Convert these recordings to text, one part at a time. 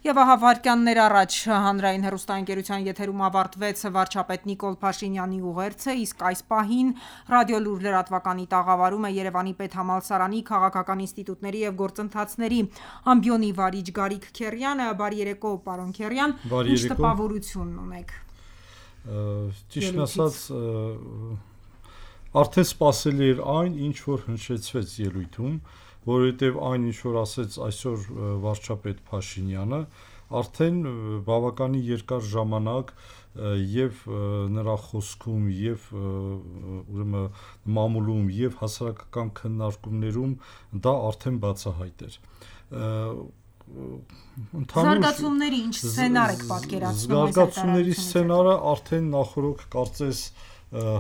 Եվ ահա վայրկյաններ առաջ հանրային հեռուստաընկերության եթերում ավարտվեց վարչապետ Նիկոլ Փաշինյանի ուղերձը, իսկ այս պահին Ռադիոլուր լրատվականի տաղավարում է Երևանի պետհամալսարանի քաղաքական ինստիտուտների և գործընթացների ամբիոնի վարիչ Գարիկ Քերյանը։ Բարի երեկո, պարոն Քերյան, ինչ տպավորություն ունեք։ Ճիշտն ասած, արդեն սպասելի էր այն, ինչ որ հնչեցվեց ելույթում, որովհետև այն, ինչ որ ասեց այսօր վարչապետ Փաշինյանը, արդեն բավականին երկար ժամանակ և նրա խոսքում, և մամուլում, և հասարակական քննարկումներում դա արդեն բացահայտ էր։ Զարգացումների ինչ սցենար եք պատկերացնում։ Զարգացումների սցենարը արդեն նախօրոք կարծես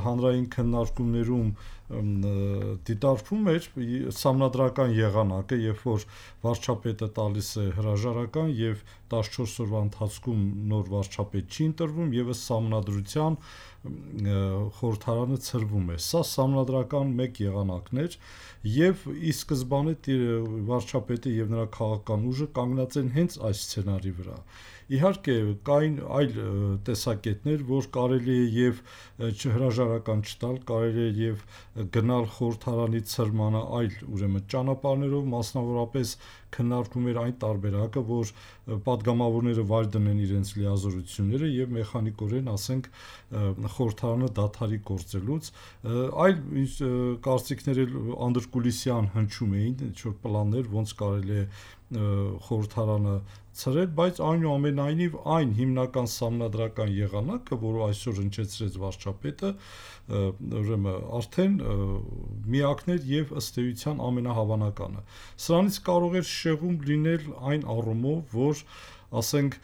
հանրային քննարկումներում դիտարկվում էր սահմանադրական եղանակը, երբ որ վարչապետը տալիս է հրաժարական և 14 օրվա ընթացքում նոր վարչապետ չի ընտրվում և ըստ սահմանադրության խորհրդարանը ցրվում է։ Սա սահմանադրական մեկ եղանակն էր և ի սկզբանե վարչապետը և նրա քաղաքական ուժը կանգնած են հենց այս սցենարի վրա։ Իհարկե կային այլ տեսակետներ, որ կարելի է և հրաժարական չտալ, կարելի է և գնալ խորհրդարանի ցրմանը այլ ճանապարհներով, մասնավորապես քննարկվում էր այն տարբերակը, որ պատգամավորները վայր դնեն իրենց լիազորությունները և մեխանիկորեն, ասենք, խորհրդարանը դադարի գործելուց, այլ կարծիքներ էլ անդրկուլիսյան հնչում էին, ինչ-որ պլաններ, ոնց կարելի է խորհրդարանը ցրել, բայց այնուամենայնիվ այն հիմնական սահմանադրական եղանակը, որը այսօր հնչեցրեց վարչապետը, արդեն միակն էր և ըստ էության ամենահավանականը։ Սրանից կարող էր շեղում լինել այն առումով, որ ասենք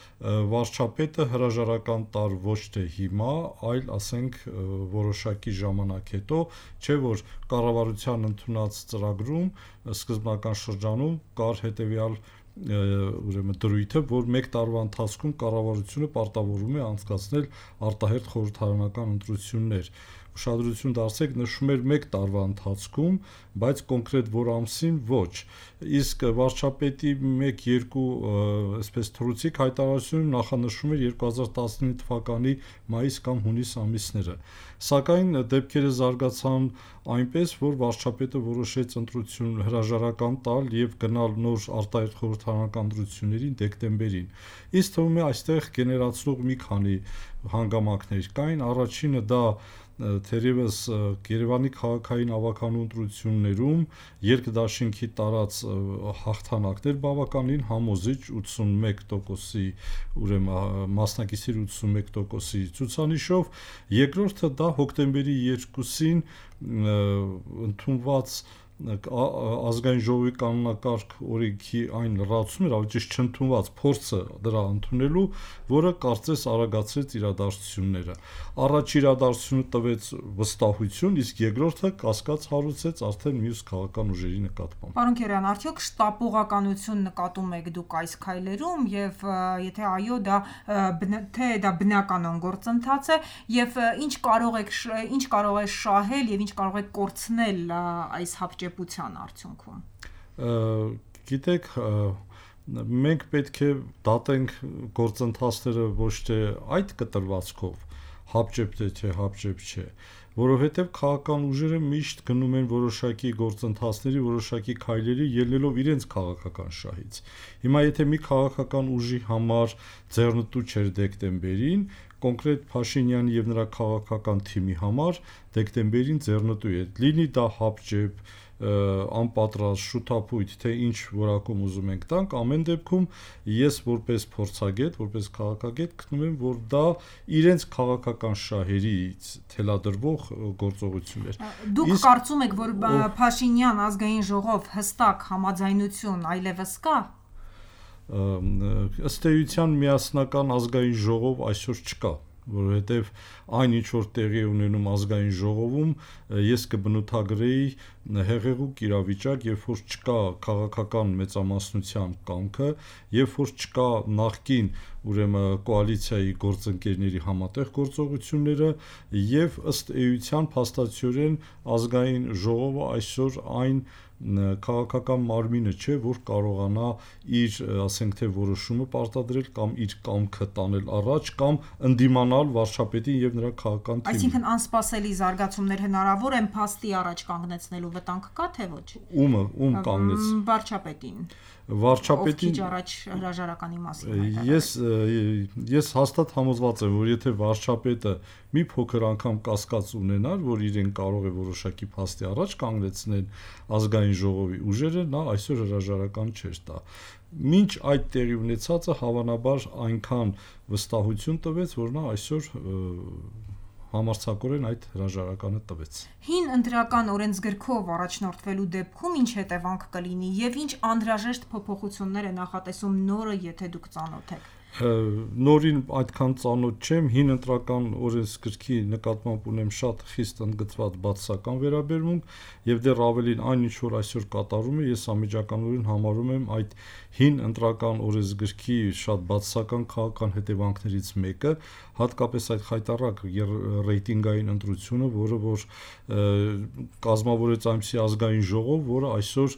վարչապետը հրաժարական տար ոչ թե հիմա, այլ ասենք որոշակի ժամանակ հետո, չէ՞ որ կառավարության ընդունած ծրագրում սկզբնական շրջանում կար հետևյալ դրույթը, որ մեկ տարվա ընթացքում կառավարությունը պարտավորվում է անցկացնել արտահերթ խորհրդարանական ընտրություններ։ Ուշադրություն դարձրեք, նշում էր մեկ տարվա ընթացքում, բայց կոնկրետ որ ամսին ոչ, իսկ վարչապետի 1-2 այսպես թռուցիկ հայտարարությունում նախանշվում էր 2019 թվականի մայիս կամ հունիս ամիսները, սակայն դեպքերը զարգացան այնպես, որ վարչապետը որոշեց հրաժարական տալ և գնալ նոր արտահերթ խորհրդարանական ընտրություններին դեկտեմբերին։ Ինձ թվում է այստեղ գեներացնող մի քանի հանգամանքներ կային։ Առաջինը դա թերևս Երևանի քաղաքային ավագանու ընտրություններում երկդաշինքի տարած հաղթանակներ բավականին համոզիչ 81%-ի մասնակիցների 81%-ի ցուցանիշով, երկրորդը դա հոկտեմբերի 2-ին ընդունված ազգային ժողովի կանոնակարգ օրենքի այն լրացումն էր, ավելի ճիշտ չընդունված փորձը դրա ընդունելու, որը կարծես արագացրեց իրադարձությունները։ Առաջ իրադարձությունը տվեց վստահություն, իսկ երկրորդը կասկած հարուցեց արդեն մյուս քաղաքական ուժերի նկատմամբ։ Պարոն Քերյան, արդյոք շտապողականություն նկատում եք դուք այս քայլերում և եթե այո, թե դա բնականon գործընթաց է և ինչ կարող է շահել և ինչ կարող է կորցնել այս հապճեպության արդյունքում։ Գիտեք, մենք պետք է դատենք գործընթացները ոչ թե այդ կտրվածքով, հապճեպ է թե հապճեպ չէ, որովհետև քաղաքական ուժերը միշտ գնում են որոշակի գործընթացների, որոշակի քայլերի ելնելով իրենց քաղաքական շահից։ Հիմա եթե մի քաղաքական ուժի համար ձեռնտու չէր դեկտեմբերին, կոնկրետ Փաշինյանի և նրա քաղաքական թիմի համար դեկտեմբերին ձեռնտու է, լինի դա հապճեպ, անպատրաստ, շութափույթ, թե ինչ որակում ուզում ենք տանք, ամեն դեպքում ես որպես փորձագետ, որպես քաղաքագետ գտնում եմ, որ դա իրենց քաղաքական շահերից թելադրվող գործողություն էր։ Դուք կարծում եք, որ Փաշինյան ազգային ժողով հստակ համաձայնություն այլևս կա։ Ըստ էության միասնական ազգային ժողով այսօր չկա, որովհետև այն ինչ որ տեղի է ունենում ազգային ժողովում, ես կբնութագրեի հեղեղուկ իրավիճակ, երբ որ չկա քաղաքական մեծամասնության կամքը, երբ որ չկա նախկին ուրեմն կոալիցիայի գործընկերների համատեղ գործողությունները եւ ըստ էության փաստացիորեն ազգային ժողովը այսօր այն քաղաքական մարմինը չէ, որ կարողանա իր, ասենք թե որոշումը պարտադրել կամ իր կամքը տանել առաջ կամ ընդդիմանալ վարչապետին եւ նրա քաղաքական թիմին։ Այսինքն անսպասելի զարգացումներ հնարավոր են փաստի առաջ կանգնեցնելու վտանգ կա թե ոչ։ Ում կանգնեց։ Վարչապետին։ Վարչապետին առաջ հրաժարականի մասին ես հաստատ համոզված եմ, որ եթե վարչապետը մի փոքր անգամ կասկած ունենար, որ իրեն կարող է որոշակի փաստի առաջ կանգնեցնել ազգային ժողովի ուժերը, նա այսօր հրաժարական չէր տա։ Մինչ այդ տեղի ունեցածը հավանաբար այնքան վստահություն տվեց, որ նա այսօր համարձակորեն այդ հրաժարականը տվեց։ Հին ընտրական օրենսգրքով առաջնորդվելու դեպքում ինչ հետևանք կլինի եւ ինչ անհրաժեշտ փոփոխություններ է նախատեսում նորը, եթե դուք ծանոթ եք։ Նորին այդքան ծանոթ չեմ, հին ընտրական օրենսգրքի նկատմամբ ունեմ շատ խիստ ընդգծված բացասական վերաբերմունք եւ դեռ ավելին այն ինչ որ այսօր կատարում է, ես անմիջականորեն համարում եմ այդ հին ընտրական օրենսգրքի շատ բացասական քաղաքական հետևանքներից մեկը, հատկապես այդ խայտառակ ռեյտինգային ընտրությունը, որը որ կազմավորեց այնպիսի ազգային ժողով, որը այսօր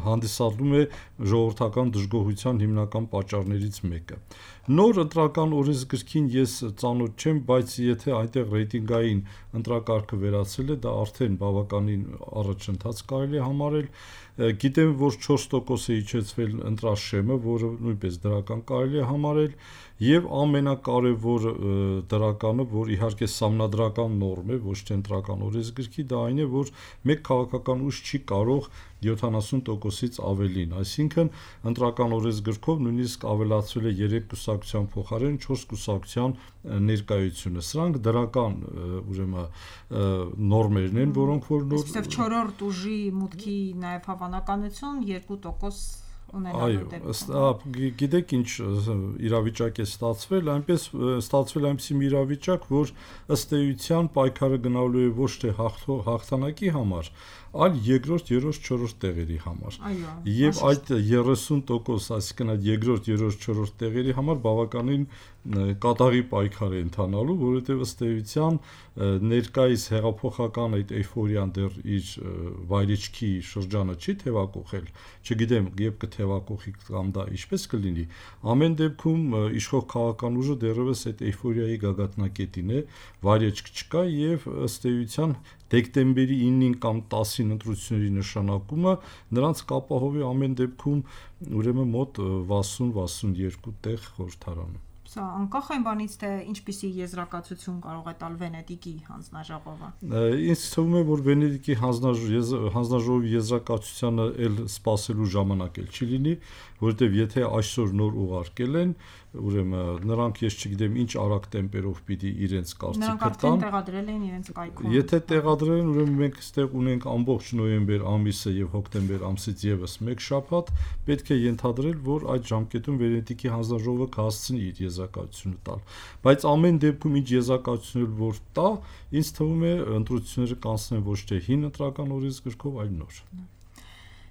հանդիսանում է ժողովրդական դժգոհության հիմնական պատճառներից մեկը։ Նոր ընտրական օրենսգրքին ես ծանոթ չեմ, բայց եթե այնտեղ ռեյտինգային ընտրակարգը վերացել է, դա արդեն բավականին առաջընթաց կարելի է համարել։ Գիտեմ, որ 4% է իջեցվել ընտրաշեմը, որը նույնպես դրական կարելի է համարել, եւ ամենակարևոր դրականը, որ իհարկե սահմանադրական նորմ է, ոչ թե ընտրական օրենսգրքի, դա այն է, որ մեկ քաղաքական ուժ չի կարող 70%-ից ավելին, այսինքն ընտրական օրենսգրքով նույնիսկ ավելացվել է 3 կուսակցության փոխարեն 4 կուսակցության ներկայությունը։ Սրանք դրական ուրեմն նորմերն են, որոնք որ նոր չորրորդ ուժի մուտքի նաև հավանականություն 2% Գիտեք ինչ իրավիճակ է ստացվել, ստացվել այնպիսի մի իրավիճակ, որ ըստ էության պայքարը գնալու է ոչ թե հաղթանակի համար, այլ երկրորդ, երրորդ, չորրորդ տեղերի համար։ Եվ այդ 30%, այսինքն այդ երկրորդ, երրորդ, չորրորդ տեղերի համար բավականին կատաղի պայքար է ընթանալու, որովհետև ըստ էության ներկայիս հեղափոխական այդ էյֆորիան դեռ իր վայրիչքի շրջանը չի թևակողել, չգիտեմ, երբ կթևակողի կամ դա ինչպես կլինի, ամեն դեպքում իշխող քաղաքական ուժը դեռևս այդ էյֆորիայի գագաթնակետին է, վայրիչք չկա եւ ըստ էության դեկտեմբերի 9-ին կամ 10-ին ընտրությունների նշանակումը նրանց կապահովի ամեն դեպքում ուրեմն մոտ 60-62 տեղ խորհրդարանում։ Սա անկախ այն բանից, թե ինչպիսի եզրակացություն կարող է տալ Վենետիկի հանձնաժողովը։ Ինձ թվում է, որ Վենետիկի հանձնաժողովի եզրակացությանը էլ սպասելու ժամանակ էլ չի լինի, որովհետև եթե այսօր նոր ուղարկել են, ուրեմն նրանք ես չգիտեմ ինչ արագ տեմպերով պիտի իրենց կարծիքը տան։ Նրանք արդեն տեղադրել են իրենց կայքում։ Եթե տեղադրել են, ուրեմն մենք այստեղ ունենք ամբողջ նոյեմբեր ամիսը եւ հոկտեմբեր ամսից եւս մեկ շաբաթ, պետք է ենթադրել, որ այդ ժամկետում Վենետիկի հանձնաժողովը կհասցնի իր եզրակացությունը տալ։ Բայց ամեն դեպքում ինչ եզրակացություն որ տա, ինձ թվում է ընտրությունները կանցնեն ոչ թե հին ընտրական օրենսգրքով, այլ նոր։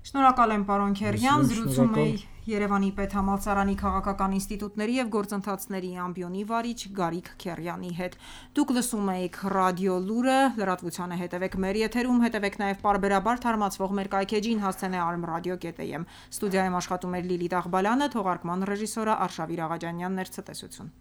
Շնորհակալ եմ, պարոն Քերյան, զրուցում էի Երևանի պետհամալսարանի քաղաքական ինստիտուտների եւ գործընթացների ամբիոնի վարիչ Գարիկ Քերյանի հետ։ Դուք լսում եք ռադիո լուրը, լրատվությանը հետևեք մեր եթերում, հետևեք նաեւ պարբերաբար թարմացվող մեր կայքեջին հասցեն armradio.am։ Ստուդիայում աշխատում էր Լիլիթ Աղբալյանը, թողարկման ռեժիսորը Արշավիր Աղաջանյանն էր, ցտեսություն։